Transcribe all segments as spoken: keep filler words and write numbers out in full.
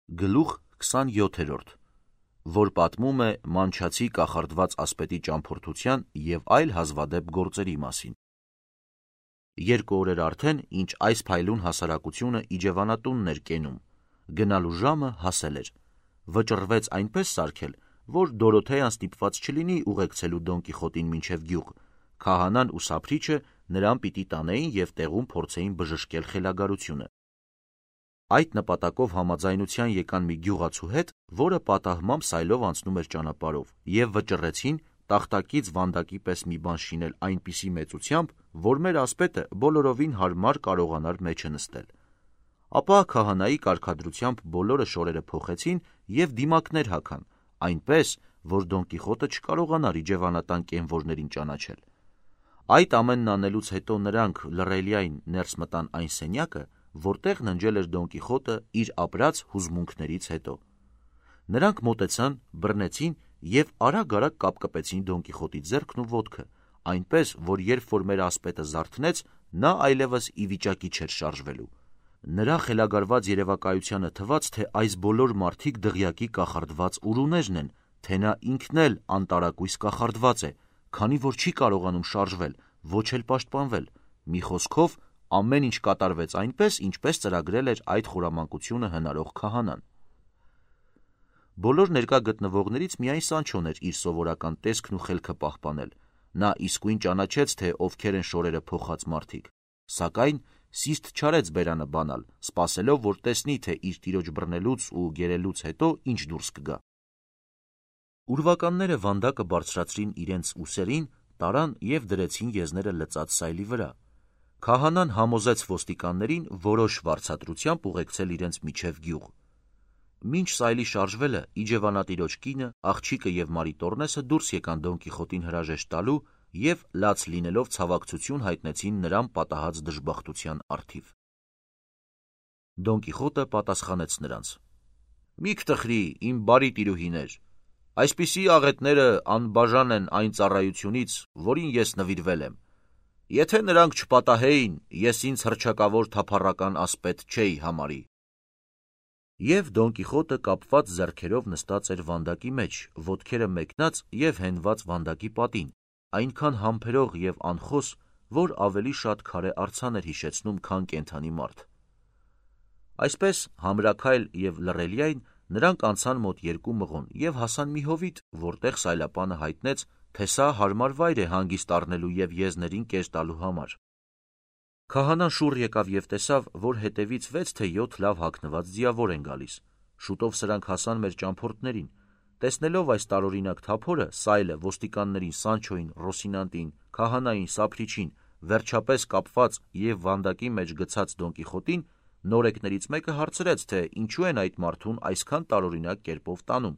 Գլուխ քսանյոթերորդ, որ պատմում է մանչացի կախարդված ասպետի ճամփորդության և այլ հազվադեպ գործերի մասին։ Երկու օրեր արդեն, ինչ այս փայլուն հասարակությունը իջևանատունն էր կենում, գնալու ժամը հասել էր, վճռվեց այնպես սարքել, որ Դորոթեան ստիպված չլինի ուղեկցելու Դոն Կիխոտին մինչև գյուղ, քահանան ու սափրիչը նրան պիտի տանեին և տեղում փորձեին բժշկել խելագարությունը։ Այդ նպատակով համաձայնության եկան մի գյուղացու հետ, որը պատահմամբ սայլով անցնում էր ճանապարհով, և վճռեցին տախտակից վանդակի պես մի բան շինել այնպիսի մեծությամբ, որ մեր ասպետը բոլորովին հարմար կարողանար մեջը նստել։ Ապա քահանայի կարգադրությամբ բոլորը շորերը փոխեցին և դիմակներ հագան, այնպես, որ Դոն Կիխոտը չկարողանար իջևանատան կենվորներին ճանաչել։ Այդ ամենն անելուց հետո նրանք լռելիայն ներս մտան այն սենյակը, որտեղ ննջել էր Դոն Կիխոտը իր ապրած հուզմունքներից հետո։ Նրանք մոտեցան, բռնեցին և արագ-արագ կապկպեցին Դոն Կիխոտի ձեռքն ու ոտքը, այնպես, որ երբ որ մեր ասպետը զարթնեց, նա այլևս ի վիճակի չէր շարժվելու։ Նրա խելագարված երևակայությանը թվաց, թե այս բոլոր մարդիկ դղյակի կախարդված ուրուներն են, թե նա ինքն էլ անտարակույս կախարդված է, քանի որ չի կարողանում շարժվել, ոչ էլ պաշտպանվել։ Մի խոսքով, ամեն ինչ կատարվեց այնպես, ինչպես ծրագրել էր այդ խորամանկությունը հնարող քահանան։ Բոլոր ներկա գտնվողներից միայն Սանչոն էր իր սովորական տեսքն ու խելքը պահպանել։ Նա իսկույն ճանաչեց, թե ովքեր են շորերը փոխած մարդիկ, սակայն սիստ չարեց բերանը բանալ, սպասելով, որ տեսնի, թե իր տիրոջ բռնելուց ու գերելուց հետո ինչ դուրս կգա։ Ուրվականները վանդակը բարձրացրին իրենց ուսերին, տարան և դրեցին եզները լծած սայլի վրա։ Քահանան համոզեց ոստիկաններին որոշ վարձատրությամբ ուղեկցել իրենց միջև գյուղ։ Մինչ սայլի շարժվելը, իջևանատիրոջ կինը, աղջիկը և Մարիտոռնեսը դուրս եկան Դոն Կիխոտին հրաժեշտ տալու և լաց լինելով ցավակցություն հայտնեցին նրան պատահած դժբախտության առթիվ։ Դոն Կիխոտը պատասխանեց նրանց. «Մի կտխրի, իմ բարի տիրուհիներ, այսպիսի աղետները անբաժան են այն ծառայությունից, որին ես նվիրվել եմ։ Եթե նրանք չպատահեին, ես ինձ հռչակավոր թափառական ասպետ չէի համարի»։ Եվ Դոն Կիխոտը կապված ձեռքերով նստած էր վանդակի մեջ, ոտքերը մեկնած և հենված վանդակի պատին, այնքան համբերող և անխոս, որ ավելի շատ քարե արձան էր հիշեցնում, քան կենդանի մարդ։ Այսպես համրաքայլ և լռելիայն նրանք անցան մոտ երկու մղոն և հասան մի հովիտ, որտեղ սայլապանը հայտնեց, թե սա հարմար վայր է հանգիստ առնելու և եզներին կեզ տալու համար։ Քահանան շուռ եկավ և տեսավ, որ հետևից վեց թե յոթ լավ հագնված ձիավոր են գալիս։ Շուտով սրանք հասան մեր ճամփորդներին։ Տեսնելով այս տարօրինակ թափորը, սայլը, ոստիկաններին, Սանչոին, Ռոսինանտին, քահանային, սափրիչին, վերջապես կապված և վանդակի մեջ գցած Դոն Կիխոտին, նորեկներից մեկը հարցրեց, թե ինչու են այդ մարդուն այսքան տարօրինակ կերպով տանում։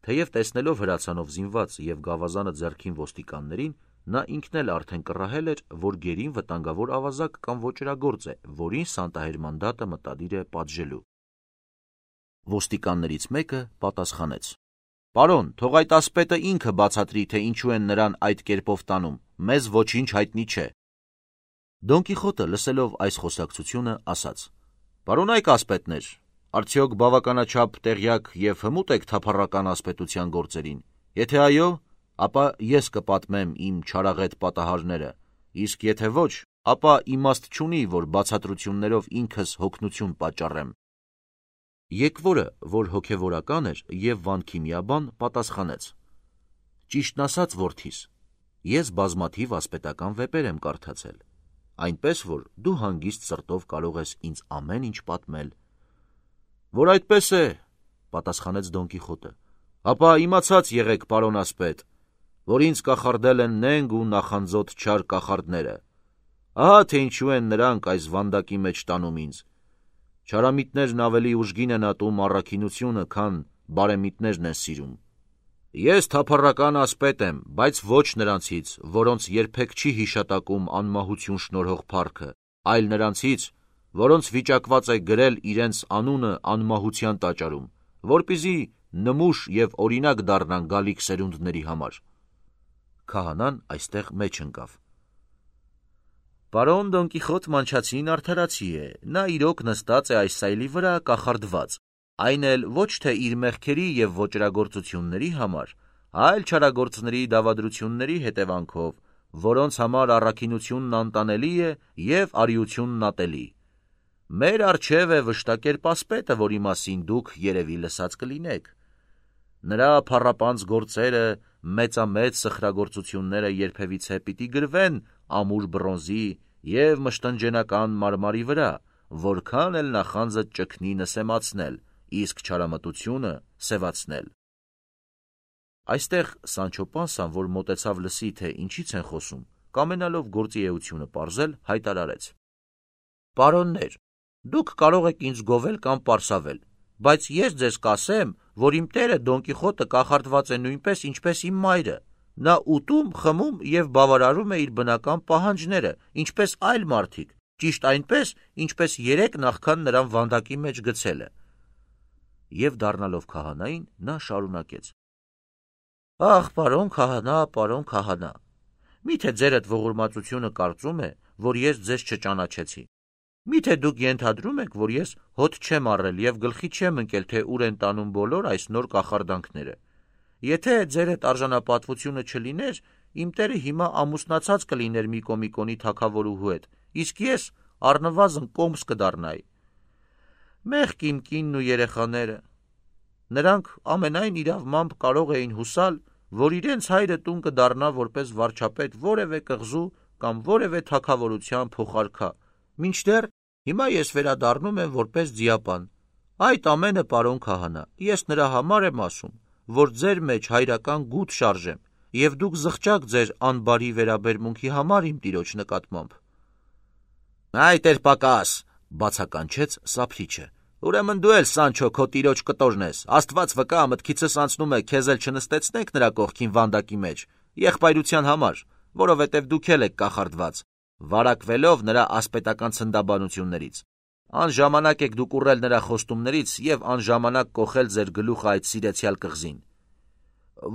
Թեև տեսնելով հրացանով զինված և գավազանը ձեռքին ոստիկաններին, նա ինքն էլ արդեն կռահել էր, որ գերին վտանգավոր ավազակ կամ ոճրագործ է, որին սանտահեր մանդատը մտադիր է պատժելու։ Ոստիկաններից մեկը պատասխանեց. «Պարոն, թող այդ ասպետը ինքը բացատրի, թե ինչու են նրան այդ կերպով տանում, մեզ ոչինչ հայտնի չէ»։ Դոն Կիխոտը, լսելով այս խոսակցությունը, ասաց. «Պարոնայք ասպետներ, արդյոք բավականաչափ տեղյակ և հմուտ եք թափառական ասպետության գործերին։ Եթե այո, ապա ես կպատմեմ իմ չարաղետ պատահարները, իսկ եթե ոչ, ապա իմաստ չունի, որ բացատրություններով ինքս հոգնություն պատճառեմ»։ Եկվորը, որ հոգևորական էր և վանքիմիաբան, պատասխանեց. «Ճիշտն ասած, որդիս, ես բազմաթիվ ասպետական վեպեր եմ կարդացել, այնպես որ դու հանգիստ սրտով կարող ես ինձ ամեն ինչ պատմել»։ «Որ այդպես է, պատասխանեց Դոն Կիխոտը, ապա իմացած եղեք, պարոն ասպետ, որ ինձ կախարդել են նենգ ու նախանձոտ չար կախարդները։ Ահա թե ինչու են նրանք այս վանդակի մեջ տանում ինձ։ Չարամիտներն ավելի ուժգին են ատում առաքինությունը, քան բարեմիտներն են սիրում։ Ես թափառական ասպետ եմ, բայց ոչ նրանցից, որոնց երբեք չի հիշատակում անմահություն շնորհող փառքը, այլ նրանցից, որոնց վիճակված է գրել իրենց անունը անմահության տաճարում, որպեսզի նմուշ և օրինակ դառնան գալիք սերունդների համար»։ Քահանան այստեղ մեջ ընկավ։ Պարոն Դոն Կիխոտ Մանչացին արդարացի է, նա իրոք նստած է այս սայլի վրա կախարդված, այն էլ ոչ թե իր մեղքերի և ոճրագործությունների համար, այլ չարագործների դավադրությունների հետևանքով, որոնց համար առաքինությունն անտանելի է և արիությունն ատելի։ Մեր առջև է վշտակերպ ասպետը, որի մասին դուք երևի լսած կլինեք։ Նրա փառապանծ գործերը, մեծամեծ սխրագործությունները երբևիցե պիտի գրվեն ամուր բրոնզի և մշտնջենական մարմարի վրա, որքան էլ նախանձը ճգնի նսեմացնել, իսկ չարամտությունը սևացնել։ Այստեղ Սանչո Պանսան, որ մոտեցավ լսի, թե ինչից են խոսում, կամենալով գործի էությունը պարզել, հայտարարեց. Պարոններ, դուք կարող եք ինձ գովել կամ պարսավել, բայց ես ձեզ կասեմ, որ իմ տերը Դոն Կիխոտը կախարդված է նույնպես, ինչպես իմ մայրը։ Նա ուտում, խմում և բավարարում է իր բնական պահանջները, ինչպես այլ մարդիկ, ճիշտ այնպես, ինչպես երեկ նախքան նրան վանդակի մեջ գցելը։ Եվ դառնալով քահանային, նա շարունակեց. Ախ, պարոն քահանա, պարոն քահանա, միթե ձերդ ողորմածությունը կարծում է, որ ես ձեզ չճանաչեցի։ Միթե դուք ենթադրում եք, որ ես հոտ չեմ առել և գլխի չեմ ընկել, թե ուր են տանում բոլոր այս նոր կախարդանքները։ Եթե ձերդ արժանապատվությունը չլիներ, իմ տերը հիմա ամուսնացած կլիներ մի կոմիկոնի թագավորուհու հետ, իսկ ես առնվազն կոմս կդառնայի։ Մեղք իմ կինն ու երեխաները։ Նրանք ամենայն իրավմամբ կարող էին հուսալ, որ իրենց հայրը տուն կդառնա որպես վարչապետ որևէ կղզու կամ որևէ թագավորության փոխարքա, մինչդեռ հիմա ես վերադառնում եմ որպես ձիապան։ Այդ ամենը, պարոն քահանա, ես նրա համար եմ ասում, որ ձեր մեջ հայրական գութ շարժեմ, և դուք զղջաք ձեր անբարի վերաբերմունքի համար իմ տիրոջ նկատմամբ։ Այդ էր պակաս, բացականչեց Սափրիչը։ Ուրեմն դու էլ, Սանչո, քո տիրոջ կտորն ես, Աստված վկա, մտքիցս անցնում է քեզ էլ չնստեցնենք նրա կողքին վանդակի մեջ, եղբայրության համար, որովհետև դուք էլ եք կախարդված, վարակվելով նրա ասպետական ցնդաբանություններից։ Անժամանակ եք դուք ուռել նրա խոստումներից և անժամանակ կոխել ձեր գլուխը այդ սիրեցյալ կղզին։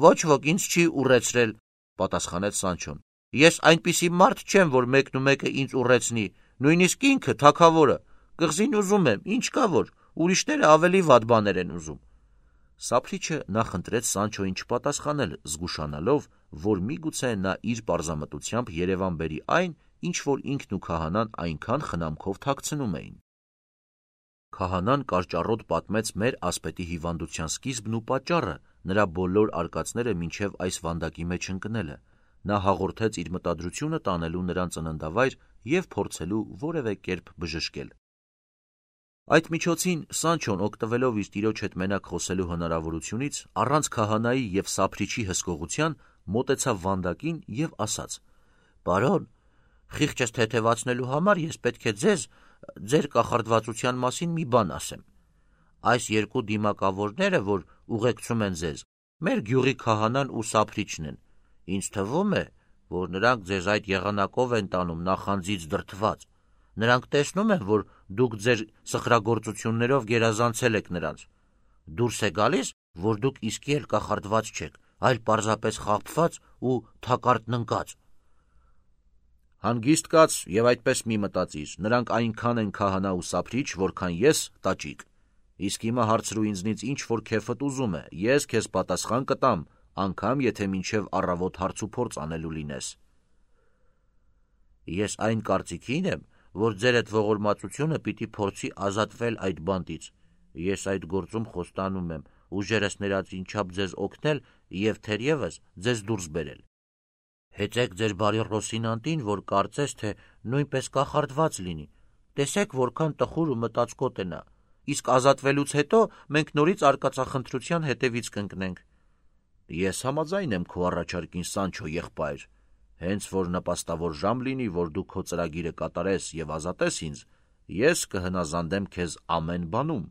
Ոչ ոք ինձ չի ուռեցրել, պատասխանեց Սանչոն։ Ես այնպիսի մարդ չեմ, որ մեկն ու մեկը ինձ ուռեցնի, նույնիսկ ինքը թագավորը։ Կղզին ուզում եմ, ինչ կա որ, ուրիշները ավելի վատ բաներ են ուզում։ Սափրիչը նախընտրեց Սանչոյին չպատասխանել, զգուշանալով, որ միգուցե նա իր պարզամտությամբ երևան բերի այն, ինչ որ ինքն ու քահանան այնքան խնամքով թաքցնում էին։ Քահանան կարճառոտ պատմեց մեր ասպետի հիվանդության սկիզբն ու պատճառը, նրա բոլոր արկածները մինչև այս վանդակի մեջ ընկնելը։ Նա հաղորդեց իր մտադրությունը տանելու նրան ծննդավայր և փորձելու որևէ կերպ բժշկել։ Այդ միջոցին Սանչոն, օգտվելով իր տիրոջ հետ մենակ խոսելու հնարավորությունից, առանց քահանայի և Սափրիչի հսկողության, մոտեցավ վանդակին և ասաց. Պարոն, խիղճս թեթևացնելու համար ես պետք է ձեզ, ձեր կախարդվածության մասին մի բան ասեմ։ Այս երկու դիմակավորները, որ ուղեկցում են ձեզ, մեր գյուղի քահանան ու Սափրիչն են։ Ինձ թվում է, որ նրանք ձեզ այդ եղանակով են տանում նախանձից դրդված։ Նրանք տեսնում են, որ դուք ձեր սխրագործություններով գերազանցել եք նրանց։ Դուրս է գալիս, որ դուք իսկի էլ կախարդված չեք, այլ պարզապես խաբված ու թակարդն ընկած։ Հանգիստ կաց և այդպես մի մտածիր, նրանք այնքան են քահանա ու Սափրիչ, որքան ես տաճիկ։ Իսկ հիմա հարցրու ինձնից ինչ որ քեֆդ ուզում է, ես քեզ պատասխան կտամ, անգամ եթե մինչև առավոտ հարց ու փորձ անելու լինես։ Ես այն կարծիքին եմ, որ ձերդ ողորմածությունը պիտի փորձի ազատվել այդ բանտից։ Ես այդ գործում խոստանում եմ ուժերս ներածին չափ ձեզ օգնել և թերևս ձեզ դուրս բերել։ Հեծեք ձեր բարի Ռոսինանտին, որ կարծես, թե նույնպես կախարդված լինի։ Տեսեք, որքան տխուր ու մտածկոտ է նա։ Իսկ ազատվելուց հետո մենք նորից արկածախնդրության հետևից կընկնենք։ Ես համաձայն եմ քո առաջարկին, Սանչո եղբայր։ Հենց որ նպաստավոր ժամ լինի, որ դու քո ծրագիրը կատարես և ազատես ինձ, ես կհնազանդեմ քեզ ամեն բանում։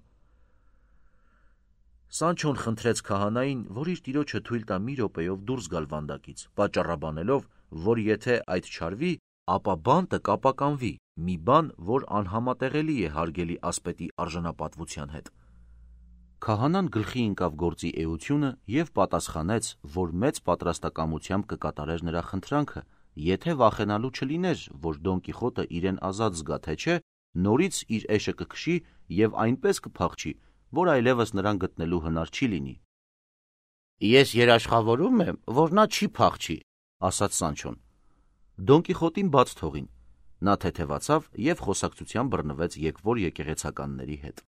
Սանչոն խնդրեց քահանային, որ իր տիրոջը թույլ տա մի րոպեով դուրս գալ վանդակից, պատճառաբանելով, որ եթե այդ չարվի, ապա բանտը կապականվի, մի բան, որ անհամատեղելի է հարգելի ասպետի արժանապատվության հետ։ Քահանան գլխի ընկավ գործի էությունը և պատասխանեց, որ մեծ պատրաստակամությամբ կկատարեր նրա խնդրանքը եթե վախենալու չլիներ, որ Դոն Կիխոտը իրեն ազատ զգա, թե չէ, նորից իր էշը կքշի և այնպես կփախչի, որ այլևս նրան գտնելու հնար չի լինի։ Ես երաշխավորում եմ, որ նա չի փախչի, ասաց Սանչոն։ Դոն Կիխոտին բաց թողին։ Նա թեթևացավ և խոսակցության բռնվեց եկվոր եկեղեցականների հետ։